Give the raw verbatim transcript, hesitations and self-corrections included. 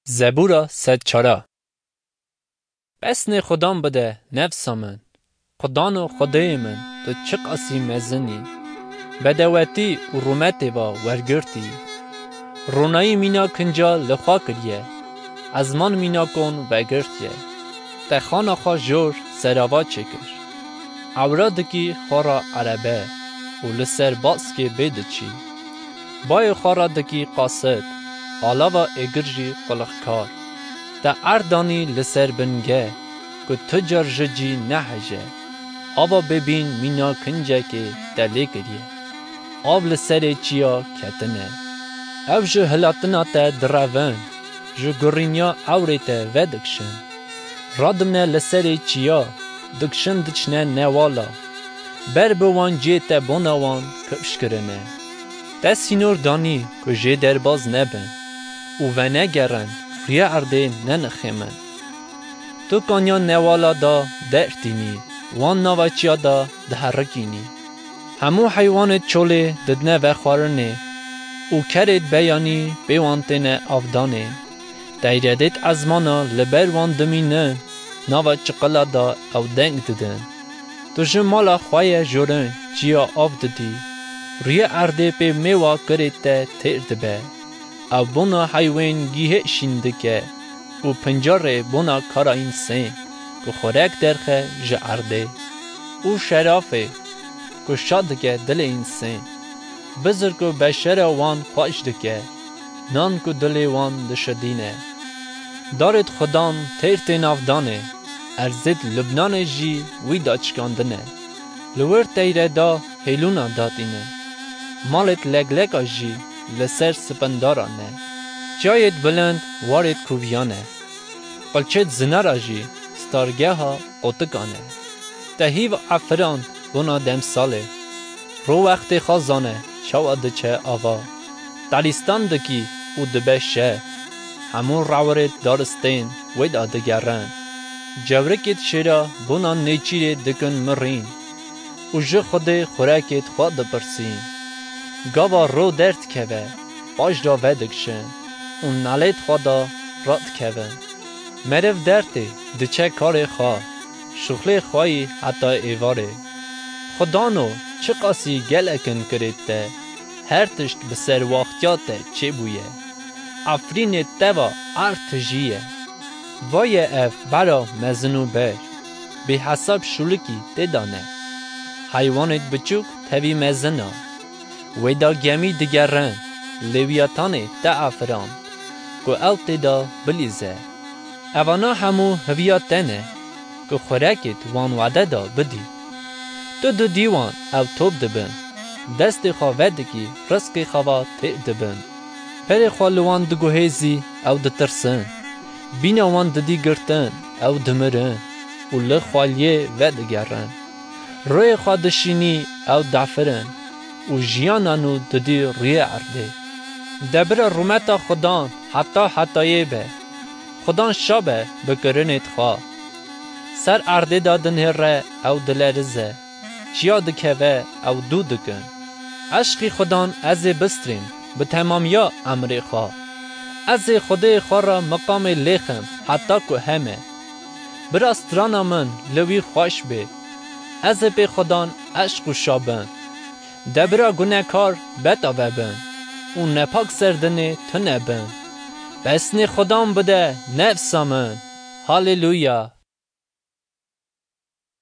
Zebûra sed çara. Pesnê Xudan bide, nefsa min. Xudano Xwedêyê min, tu çiqasî mezin î. Bedewetî û rûmetê va wergirtî. Ronayî mîna kinca li xwe kiriye. Ezman mîna kon vegirtiye. Te xana xwe jor serava çêkir. Ewra dikî xwe ra erebe û li ser baskê bê diçî. Bayê xwe ra dikî qasid, alava êgir jî qulixkar. Te erd danî li ser bingeh, ku tu car ji cî neheje. Ava bêbîn mîna kincekê te lê kiriye. Av li serê çiya ketine. Ew ji hilatina te direvin, ji gurîniya ewrê te vedikişin. Radimne li serê çiya, dikişin diçine newala. Ber bi wan cê te bona wan kifş kirine. Te sînor danî ku jê derbaz nebin û venegerin, rûyê erdê nenixêmin. Tu kaniya newala da dertînî, wan nava çiya da diherikînî. Hemû heywanêt çolê didine vexwarinê û kerêt beyanî pê wan têne avdanê. Teyredêt ezmana li ber wan dimînin, nava çiqila da ew deng didin. Tu ji mala xwe ye jorin çiya av didî, rûyê erdê pê mêwa kirê te têr dibe. Ew bona heywên gîhê şîn dike û pincarê bona kara însên ku xurek derxe ji erdê û şerafê ku şa dike dilê însên. Bizir ku beşera wan xweş dike, nan ku dilê wan dişidîne. Darêt Xudan têr tê navdanê, erzêt Lubnanê jî wî da çikandine. Li wir teyre da hêlûna datîne. Malêt legleka jî li ser spindara ne. Çiyayêt bilind warêt kûviyane. Qilçêt zinara jî stargeha qotikan e. Te hîv efirand bona demsalê. Ro wextê xwe zane çawa diçe ava. Telîstan dikî û dibe şe. Hemû rewirêt daristên wê da digerin. Cewrikêt şêra bona nêçîrê dikin mirîn û ji Xwedê xurekêt xwe dipirsîn. Gava ro derdikeve, paş da vedikişin û nalêt xwe da radikevin. Meriv dertê diçe karê xwe, şuxlê xwe yî heta êvarê. Xudano çiqasî gelekin kirêt te, her tişt bi serwaxtiya te çêbûye. Efrînê te va erd tijî ye. Va ye ev bera mezin û ber, bêhesab şûlikî tê de ne. Heywanêt biçûk tevî mezin a. Wê da gemî digerin, Lewîyatanê te afirand, ku ew tê de bilîze. Evana hemû hiviya te ne, ku xurekêt wan wade da bidî. Tu didî wan ew top dibin, destê xwe vedikî rizqê xwe va têr dibin. Berê xwe li wan diguhêzî ew ditirsin, bîna wan didî girtin ew dimirin û li xweliyê vedigerin. Rûyê xwe dişînî ew dafirin û jiyana nû didî rûyê erdê. De bira rûmeta Xudan heta hetayê be. Xudan şa be bi kirinêt xwe. Ser erdê de dinihêre ew dilerize. Çiya dikeve ew dû dikin. Eşqî Xudan ez ê bistrîm bi temamiya emrê xwe. Ez ê Xwedê xwe re miqamê lêxim heta ku heme. Bira strana min li wî xweş bê. Ez ê pê Xudan eşq û şa bin. De bira gunekar betave bin û nepak ser dinê tune bin. Pesnê Xudan bide nefsa min. Haleluya!